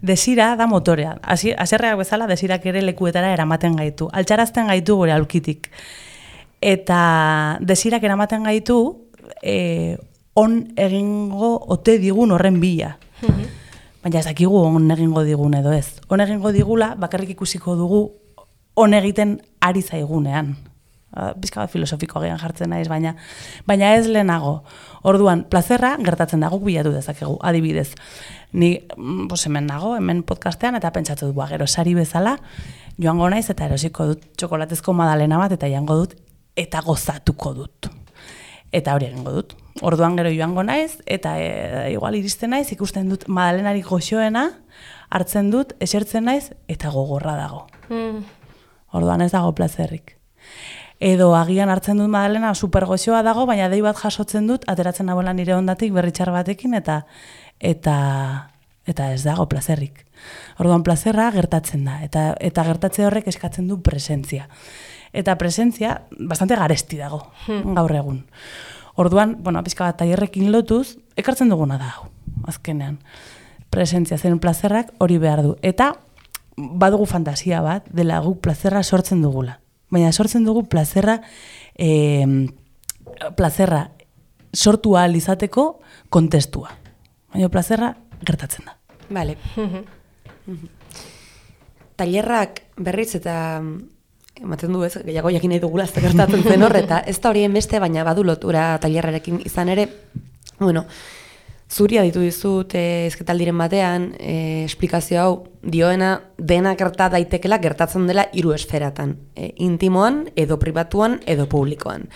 Desira da motorea. Haserreak bezala desirak ere lekuetara eramaten gaitu. Altxarazten gaitu gure aulkitik. Eta desirak eramaten gaitu e, on egingo ote digun horren bila. Baina ez dakigu on egingo digun edo ez. On egingo digula bakarrik ikusiko dugu on egiten ari zaigunean. Bizka bat filosofiko agian jartzen naiz, baina baina ez lehenago. Orduan, plazerra gertatzen da, guk bilatu dezakegu, adibidez. Ni pues, hemen nago, hemen podcastean, eta pentsatu du, gero sari bezala, joango naiz eta erosiko dut txokolatezko madalena bat, eta jango dut, eta gozatuko dut. Eta hori egingo dut. Orduan gero joango naiz, eta e, igual iristen naiz, ikusten dut madalenari goxoena, hartzen dut, esertzen naiz, eta gogorra dago. Mm. Orduan ez dago plazerrik. Edo agian hartzen dut madalena super goxoa dago, baina dei bat jasotzen dut, ateratzen nagoela nire ondatik berritxar batekin, eta eta eta ez dago plazerrik. Orduan plazerra gertatzen da, eta eta gertatze horrek eskatzen du presentzia. Eta presentzia bastante garesti dago, hmm. gaur egun. Orduan, bueno, pizka bat tailerrekin lotuz, ekartzen duguna da hau, azkenean. Presentzia zen plazerrak hori behar du. Eta badugu fantasia bat, dela guk plazerra sortzen dugula. Baina sortzen dugu plazerra, eh, plazerra sortu ahal izateko kontestua. Baina plazerra gertatzen da. Vale. Tailerrak berriz eta ematen du ez, gehiago jakin nahi dugula ez gertatzen zen horreta, ez da horien beste, baina badu lotura tailerrarekin izan ere, bueno, zuri aditu dizut eh, ezketaldiren batean, eh, esplikazio hau dioena dena gerta daitekela gertatzen dela hiru esferatan, eh, intimoan, edo pribatuan, edo publikoan.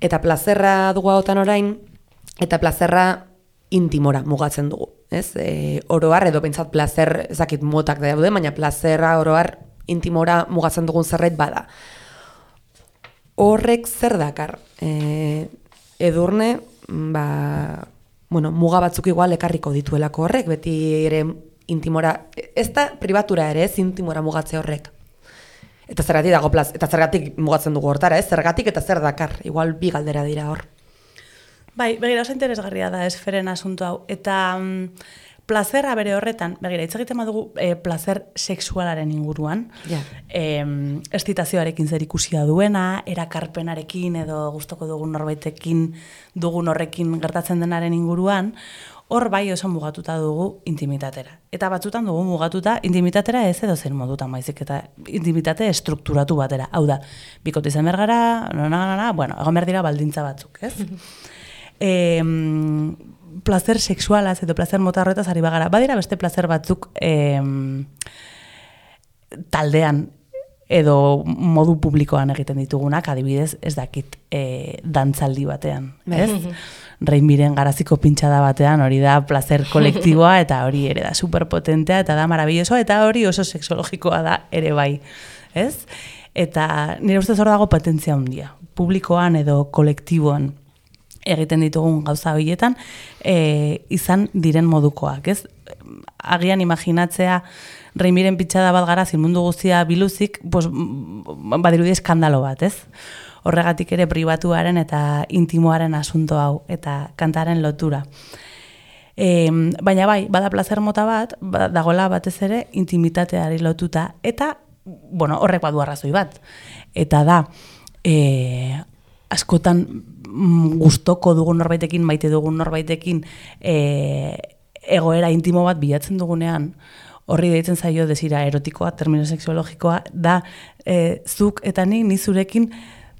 Eta plazerra dugu hautan orain, eta plazerra intimora mugatzen dugu, ez? E, oroar edo pentsat plazer, ezakit motak daude, baina plazerra oroar intimora mugatzen dugun zerbait bada. Horrek zer dakar? E, edurne, ba, bueno, muga batzuk igual ekarriko dituelako horrek, beti ere intimora, ez da pribatura ere, ez intimora mugatze horrek. Eta zergatik dago plaz, eta zergatik mugatzen dugu hortara, ez? Zergatik eta zer dakar, igual bi galdera dira hor. Bai, begira, oso interesgarria da esferen asunto hau. Eta mm, plazerra bere horretan, begira, hitz egiten badugu e, plazer sexualaren inguruan, ja. e, estitazioarekin zer ikusia duena, erakarpenarekin edo gustoko dugun norbaitekin dugun horrekin gertatzen denaren inguruan, hor bai oso mugatuta dugu intimitatera. Eta batzutan dugu mugatuta intimitatera ez edo zen modutan baizik, eta intimitate estrukturatu batera. Hau da, bikote izan bergara, na, na, na, na, bueno, egon behar dira baldintza batzuk, ez? E, placer sexualaz edo placer mota horretaz ari bagara. Badira beste placer batzuk eh, taldean edo modu publikoan egiten ditugunak, adibidez, ez dakit e, dantzaldi batean, ez? Reimiren garaziko pintxada batean, hori da placer kolektiboa, eta hori ere da superpotentea, eta da marabillosoa, eta hori oso sexologikoa da ere bai, ez? Eta nire ustez hor dago potentzia handia, publikoan edo kolektiboan egiten ditugun gauza horietan, e, izan diren modukoak, ez? Agian imaginatzea Reimiren pitxada bat gara mundu guztia biluzik, pues, badirudi eskandalo bat, ez? Horregatik ere pribatuaren eta intimoaren asunto hau, eta kantaren lotura. E, baina bai, bada placer mota bat, dagoela batez ere intimitateari lotuta, eta, bueno, horrek badu arrazoi bat. Eta da, e, askotan gustoko dugun norbaitekin, maite dugun norbaitekin, e, egoera intimo bat bilatzen dugunean, horri deitzen zaio desira erotikoa, termino sexologikoa, da e, zuk eta ni, ni zurekin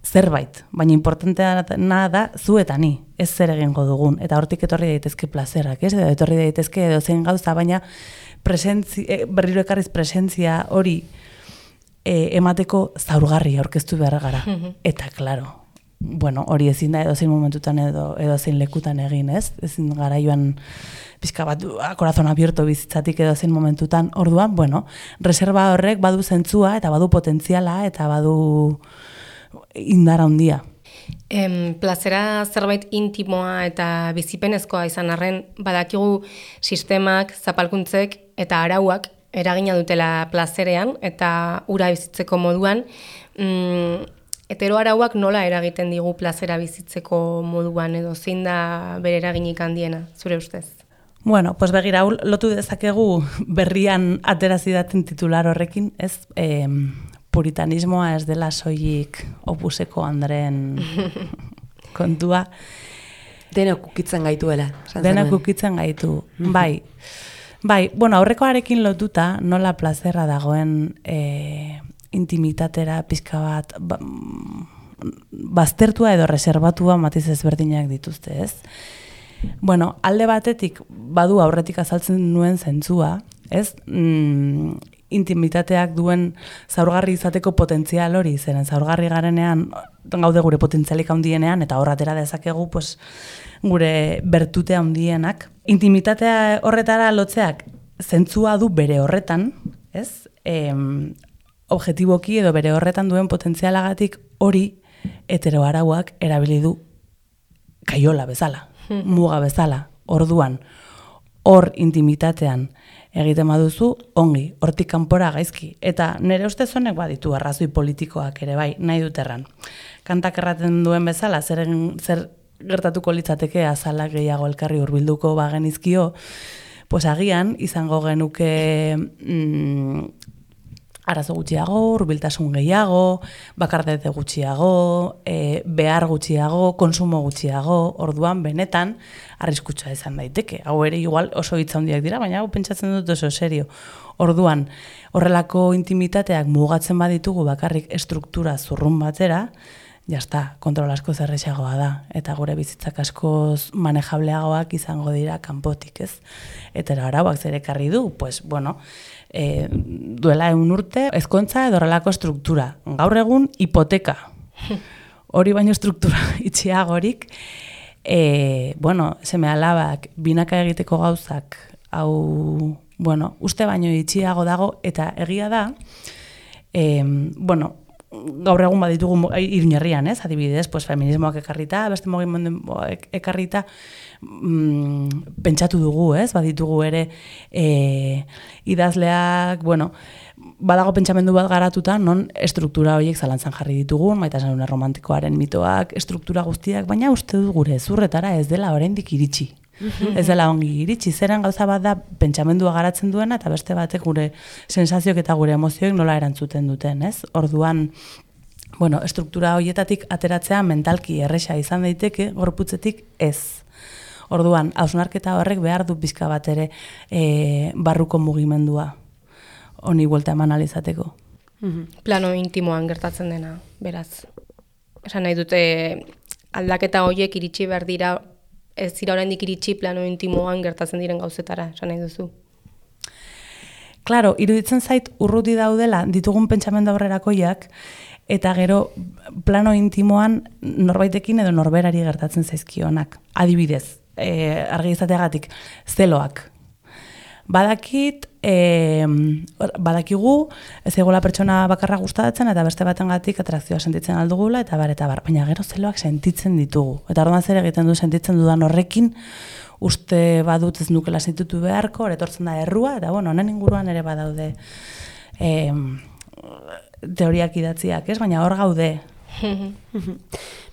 zerbait, baina importantea da zu eta ni, ez zer egingo dugun, eta hortik etorri daitezke plazerak, ez? Edo etorri daitezke edo zen gauza, baina presentzi, e, berriro ekarriz presentzia hori e, emateko zaurgarri aurkeztu behar gara. Eta, klaro, bueno, hori ezin da edo zein momentutan edo, edo zein lekutan egin, ez? Ezin gara joan pizka bat korazon abierto bizitzatik edo zein momentutan, orduan, bueno, reserva horrek badu zentzua eta badu potentziala eta badu indara handia. Em, plazera zerbait intimoa eta bizipenezkoa izan arren, badakigu sistemak, zapalkuntzek eta arauak eragina dutela plazerean eta ura bizitzeko moduan, mm, hetero arauak nola eragiten digu plazera bizitzeko moduan edo zein da bere eraginik handiena, zure ustez? Bueno, pues begira, lotu dezakegu berrian aterazidaten titular horrekin, ez? Eh, puritanismoa ez dela soilik opuseko Andren kontua. Denok ukitzen gaituela. Denok ukitzen gaitu, bai. Bai, bueno, aurrekoarekin lotuta nola plazerra dagoen e, intimitatera pizka bat ba, baztertua edo reserbatua matiz ezberdinak dituzte, ez? Bueno, alde batetik badu aurretik azaltzen nuen zentzua, ez? Mm, intimitateak duen zaurgarri izateko potentzial hori, zeren zaurgarri garenean gaude gure potentzialik handienean eta horratera dezakegu pues, gure bertute handienak. Intimitatea horretara lotzeak zentzua du bere horretan, ez? E, objetiboki edo bere horretan duen potentzialagatik hori heteroarauak erabili du kaiola bezala, muga bezala, orduan, hor intimitatean egiten baduzu, ongi, hortik kanpora gaizki. Eta nire ustez honek baditu arrazoi politikoak ere bai, nahi dut erran. Kantak erraten duen bezala, zer, zer gertatuko litzateke azalak gehiago elkarri hurbilduko bagenizkio, pues agian izango genuke mm, arazo gutxiago, hurbiltasun gehiago, bakardete gutxiago, e, behar gutxiago, konsumo gutxiago, orduan benetan arriskutsua izan daiteke. Hau ere igual oso hitza handiak dira, baina hau pentsatzen dut oso serio. Orduan, horrelako intimitateak mugatzen baditugu bakarrik estruktura zurrun batera, jazta, kontrol asko zerrexagoa da, eta gure bizitzak askoz manejableagoak izango dira kanpotik, ez? Eta arauak zer ekarri du, pues, bueno, e, duela egun urte, ezkontza edo horrelako struktura. Gaur egun, hipoteka. Hori baino struktura itxiagorik, e, bueno, seme alabak, binaka egiteko gauzak, hau, bueno, uste baino itxiago dago, eta egia da, e, bueno, gaur egun baditugu Iruñerrian, ez? Adibidez, pues feminismoak ekarrita, beste mugimenduak ekarrita, mm, pentsatu dugu, ez? Baditugu ere e, idazleak, bueno, badago pentsamendu bat garatuta, non estruktura horiek zalantzan jarri ditugun, maitasun romantikoaren mitoak, estruktura guztiak, baina uste dut gure zurretara ez dela oraindik iritsi. Ez dela ongi iritsi, zeren gauza bat da pentsamendua garatzen duena eta beste batek gure sensazioak eta gure emozioek nola erantzuten duten, ez? Orduan, bueno, estruktura horietatik ateratzea mentalki erresa izan daiteke, gorputzetik ez. Orduan, hausnarketa horrek behar du pizka bat ere e, barruko mugimendua honi buelta eman alizateko. Plano intimoan gertatzen dena, beraz. Esan nahi dute aldaketa horiek iritsi behar dira ez dira oraindik iritsi plano intimoan gertatzen diren gauzetara, esan nahi duzu. Claro, iruditzen zait urruti daudela ditugun pentsamendu aurrerakoiak, eta gero plano intimoan norbaitekin edo norberari gertatzen zaizkionak. Adibidez, e, argi izateagatik, zeloak. Badakit, e, badakigu, ez egola pertsona bakarra gustatzen eta beste batengatik atrakzioa sentitzen aldugula eta bar, eta bar. Baina gero zeloak sentitzen ditugu. Eta orduan zer egiten du sentitzen dudan horrekin, uste badut ez nukela sentitu beharko, etortzen da errua, eta bueno, honen inguruan ere badaude e, teoriak idatziak, ez? Baina hor gaude.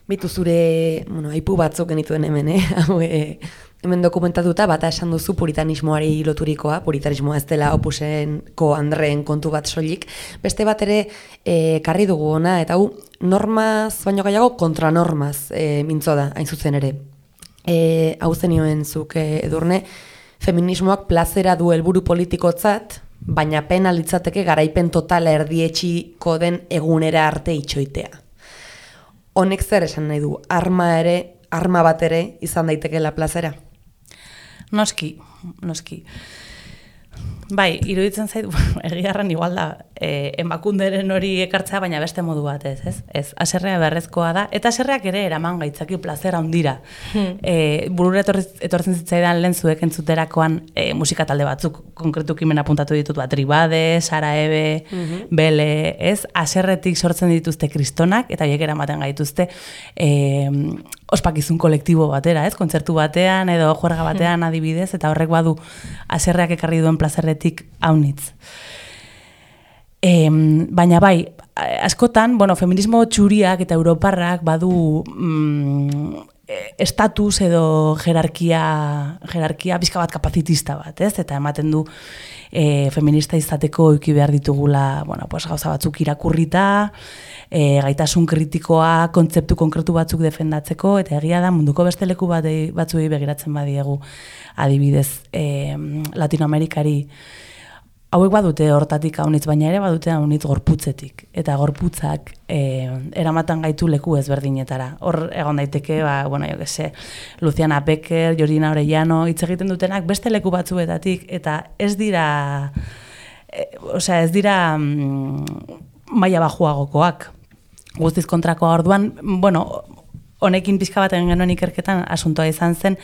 Bitu zure, bueno, aipu batzuk genituen hemen, eh? Hau, eh? Hemen dokumentatuta, bata esan duzu puritanismoari loturikoa, puritanismoa ez dela opusenko andreen kontu bat soilik. Beste bat ere e, karri dugu ona, eta hu, normaz, baino gehiago, kontranormaz e, mintzo da, hain zuzen ere. E, hau zenioen zuk e, Edurne, feminismoak plazera du helburu politikotzat, baina pena litzateke garaipen totala erdietxiko den egunera arte itxoitea. Honek zer esan nahi du, arma ere, arma bat ere izan daitekeela plazera? Noski, noski. Bai, iruditzen zait, egiarran igual da, e, emakunderen hori ekartzea, baina beste modu batez, ez? Ez, aserrea beharrezkoa da, eta aserreak ere eraman gaitzaki plazera handira. Hmm. E, burura etortzen zitzaidan lehen zuek entzuterakoan e, musika talde batzuk, konkretu kimen apuntatu ditut, bat, Tribade, Sara Ebe, mm-hmm. Bele, ez? Aserretik sortzen dituzte kristonak, eta horiek eramaten gaituzte e, ospakizun kolektibo batera, ez? Kontzertu batean edo juerga batean hmm. adibidez, eta horrek badu aserreak ekarri duen plazerretik haunitz. E, baina bai, askotan, bueno, feminismo txuriak eta europarrak badu mm, estatus edo jerarkia, jerarkia pixka bat kapazitista bat, ez? Eta ematen du e, feminista izateko euki behar ditugula, bueno, pues, gauza batzuk irakurrita, e, gaitasun kritikoa, kontzeptu konkretu batzuk defendatzeko, eta egia da munduko beste leku bat batzuei begiratzen badiegu, adibidez e, Latinoamerikari, hauek badute hortatik haunitz, baina ere badute haunitz gorputzetik. Eta gorputzak e, eramatan gaitu leku ezberdinetara. Hor egon daiteke, ba, bueno, jo que se, Luciana Becker, Georgina Orellano, hitz egiten dutenak beste leku batzuetatik, eta ez dira, e, osea, ez dira mm, maila bajuagokoak. Guztiz kontrakoa orduan, bueno, honekin pixka bat egin genuen ikerketan asuntoa izan zen,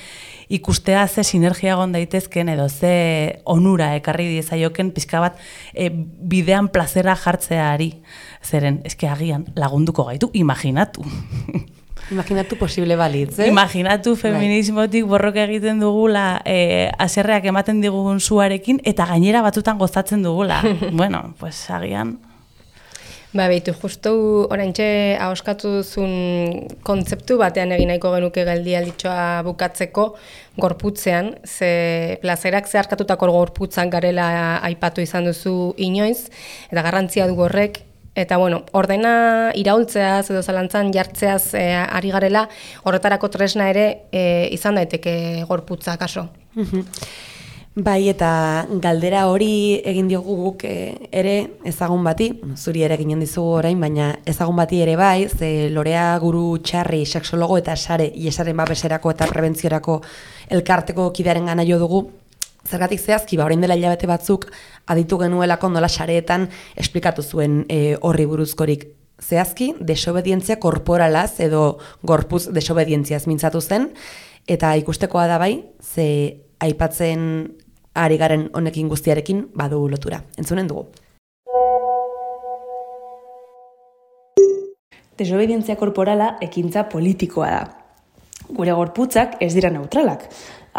ikustea ze sinergia egon daitezken edo ze onura ekarri diezaioken pixka bat e, bidean plazera jartzeari. Zeren, eske agian lagunduko gaitu, imaginatu. Imaginatu posible balitz, eh? Imaginatu feminismotik borroka egiten dugula, e, aserreak ematen digun zuarekin, eta gainera batzutan gozatzen dugula. Bueno, pues agian... Ba, behitu, justu oraintxe ahoskatu duzun kontzeptu batean egin nahiko genuke geldialditxoa bukatzeko gorputzean, ze plazerak zeharkatutako gorputzan garela aipatu izan duzu inoiz, eta garrantzia du horrek, eta bueno, ordena iraultzeaz edo zalantzan jartzeaz e, ari garela, horretarako tresna ere e, izan daiteke gorputza kaso. Bai, eta galdera hori egin diogu guk e, ere ezagun bati, zuri ere ginen dizugu orain, baina ezagun bati ere bai, ze Lorea Guru Txarri, sexologo eta sare, iesaren babeserako eta prebentziorako elkarteko kidearen gana jo dugu, zergatik zehazki, ba, orain dela hilabete batzuk aditu genuelako nola sareetan esplikatu zuen e, horri buruzkorik. Zehazki, desobedientzia korporalaz edo gorputz desobedientziaz mintzatu zen, eta ikustekoa da bai, ze aipatzen ari garen honekin guztiarekin badu lotura. Entzunen dugu. Desobedientzia korporala ekintza politikoa da. Gure gorputzak ez dira neutralak.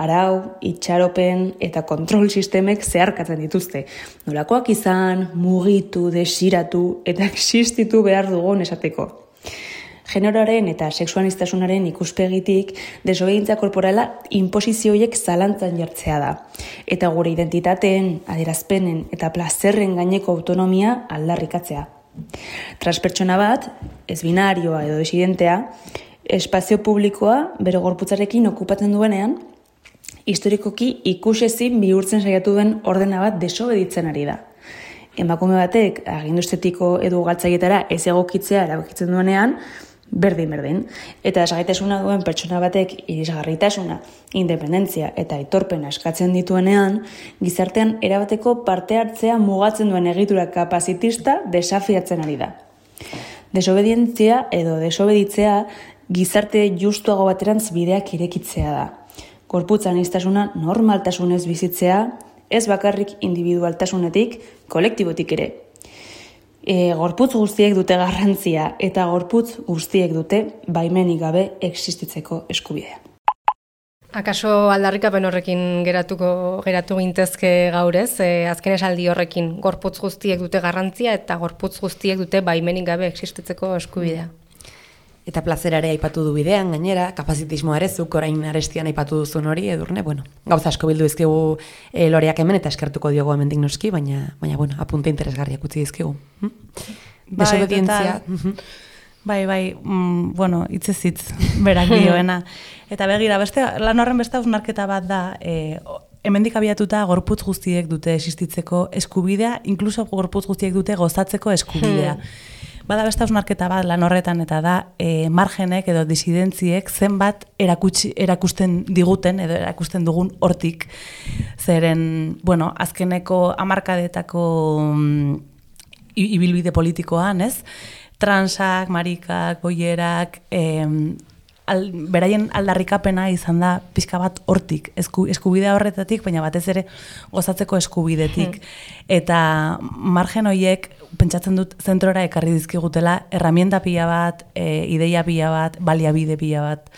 Arau, itxaropen eta kontrol sistemek zeharkatzen dituzte. Nolakoak izan, mugitu, desiratu eta existitu behar dugun esateko. Generoaren eta sexualistasunaren ikuspegitik desobedientzia korporala inposizioiek zalantzan jartzea da. Eta gure identitateen, adierazpenen eta plazerren gaineko autonomia aldarrikatzea. Transpertsona bat, ez binarioa edo desidentea, espazio publikoa bere gorputzarekin okupatzen duenean, historikoki ikusezin bihurtzen saiatu den ordena bat desobeditzen ari da. Emakume batek agindu estetiko edo galtzaietara ez egokitzea erabakitzen duenean, berdin-berdin. Eta desgaitasuna duen pertsona batek irisgarritasuna, independentzia eta aitorpena eskatzen dituenean, gizartean erabateko parte hartzea mugatzen duen egitura kapazitista desafiatzen ari da. Desobedientzia edo desobeditzea gizarte justuago baterantz bideak irekitzea da. Gorputz aniztasuna normaltasunez bizitzea, ez bakarrik individualtasunetik, kolektibotik ere. E, gorputz guztiek dute garrantzia eta gorputz guztiek dute baimenik gabe existitzeko eskubidea. Akaso aldarrikapen horrekin geratuko geratu gintezke gaur ez, e, azken esaldi horrekin gorputz guztiek dute garrantzia eta gorputz guztiek dute baimenik gabe existitzeko eskubidea. Eta plazerare aipatu du bidean, gainera, kapazitismoa ere zuk orain arestian aipatu duzun hori, Edurne, bueno, gauza asko bildu dizkigu e, loreak hemen eta eskertuko diogu hemendik noski, baina, baina bueno, apunte interesgarriak utzi dizkigu. Hm? Bai, Desobedientzia. Bai, bai, mm, bueno, hitzez hitz berak dioena. Eta begira, beste, lan horren beste hausnarketa bat da, e, hemendik abiatuta gorputz guztiek dute existitzeko eskubidea, inkluso gorputz guztiek dute gozatzeko eskubidea. Bada beste hausnarketa bat lan horretan eta da e, margenek edo disidentziek zenbat erakutsi, erakusten diguten edo erakusten dugun hortik. Zeren, bueno, azkeneko hamarkadetako mm, ibilbide politikoan, ez? Transak, marikak, boierak, em, al, beraien aldarrikapena izan da pixka bat hortik, esku, eskubidea horretatik, baina batez ere gozatzeko eskubidetik. Eta margen horiek, pentsatzen dut zentrora ekarri dizkigutela, herramienta pila bat, e, ideia pila bat, baliabide pila bat,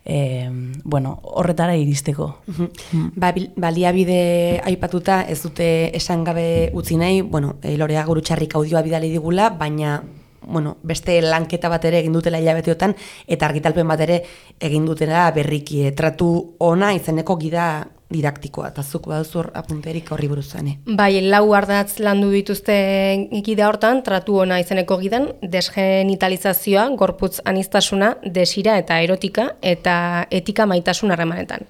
e, bueno, horretara iristeko. Mm. Ba, baliabide aipatuta ez dute esan gabe utzi nahi, bueno, e, Lorea Gurutxarrik audioa bidali digula, baina bueno, beste lanketa bat ere egin dutela hilabeteotan eta argitalpen bat ere egin dutela berriki. Tratu ona izeneko gida didaktikoa, eta zuk baduzu apunterik horri buruzane. Bai, lau ardatz landu dituzte gida hortan, tratu ona izeneko gidan, desgenitalizazioa, gorputz aniztasuna, desira eta erotika, eta etika maitasun harremanetan.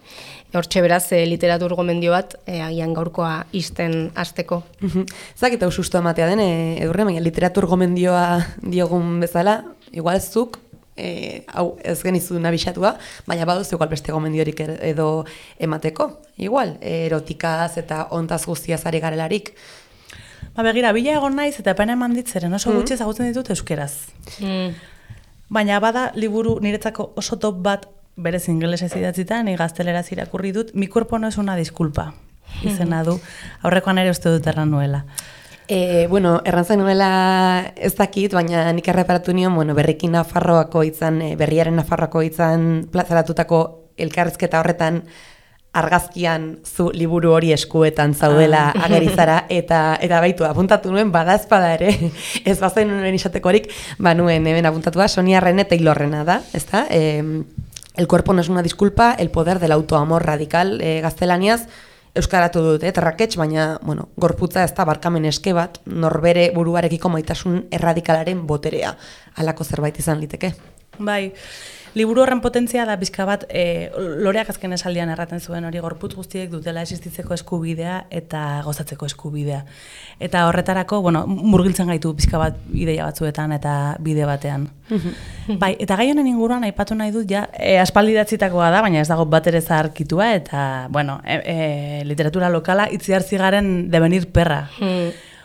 Hortxe beraz, e, literatur gomendio bat, e, agian gaurkoa isten hasteko. Zak eta usustu ematea den, e, Edurne, baina literatur gomendioa diogun bezala, igual zuk, e, hau ez genizu nabisatua, baina baduzu igual beste gomendiorik edo emateko. Igual, erotikaz eta ontaz guztiaz ari garelarik. Ba begira, bila egon naiz eta epena eman ditzeren oso gutxi ezagutzen ditut euskeraz. Mm. Baina bada liburu niretzako oso top bat berez ingelesez idatzita, ni gazteleraz irakurri dut, mi cuerpo no es una disculpa, izena du, aurrekoan ere uste dut erran nuela. E, bueno, errantzen nuela ez dakit, baina nik erreparatu nion, bueno, berriki Nafarroako hitzan, berriaren Nafarroako hitzan plazaratutako elkarrizketa horretan argazkian zu liburu hori eskuetan zaudela ah. agerizara, eta eta baitu, apuntatu nuen, bada ezpada ere, ez bazen nuen izatekorik, ba nuen hemen apuntatua, Sonia René Taylorrena da, ezta? E, El cuerpo no es una disculpa, el poder del autoamor radical, e, gaztelaniaz, euskaratu dut, eh, terraketx, baina, bueno, gorputza ez da barkamen eske bat, norbere buruarekiko maitasun erradikalaren boterea, halako zerbait izan liteke. Bai, liburu horren potentzia da bizka bat, e, Loreak azken esaldian erraten zuen hori gorputz guztiek dutela existitzeko eskubidea eta gozatzeko eskubidea. Eta horretarako, bueno, murgiltzen gaitu bizka bat ideia batzuetan eta bide batean. Bai, eta gai honen inguruan aipatu nahi dut, ja, e, aspaldi idatzitakoa da, baina ez dago bat ere zaharkitua, eta, bueno, e, e, literatura lokala itziarzi garen devenir perra.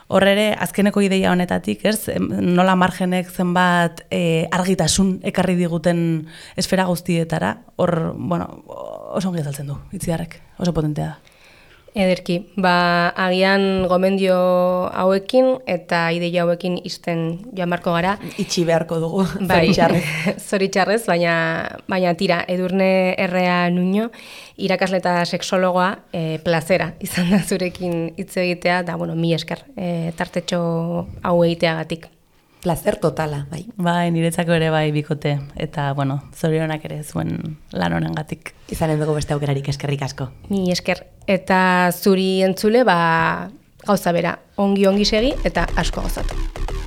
Horre ere, azkeneko ideia honetatik, ez, nola margenek zenbat e, argitasun ekarri diguten esfera guztietara, hor, bueno, oso ongi azaltzen du, itziarrek, oso potentea da. Ederki, ba, agian gomendio hauekin eta ideia hauekin isten joan barko gara. Itxi beharko dugu, bai, zoritxarrez. Zoritxarrez, baina, baina tira, Edurne Errea Nuño, irakasle eta sexologoa, e, plazera izan da zurekin hitz egitea, da, bueno, mi esker, e, tartetxo hau egiteagatik. Plazer totala, bai. Bai, niretzako ere bai bikote, eta, bueno, zorionak ere zuen lan honengatik. Izanen dugu beste aukerarik, eskerrik asko. Mi esker. Eta zuri entzule, ba, gauza bera, ongi-ongi segi eta asko gozatu.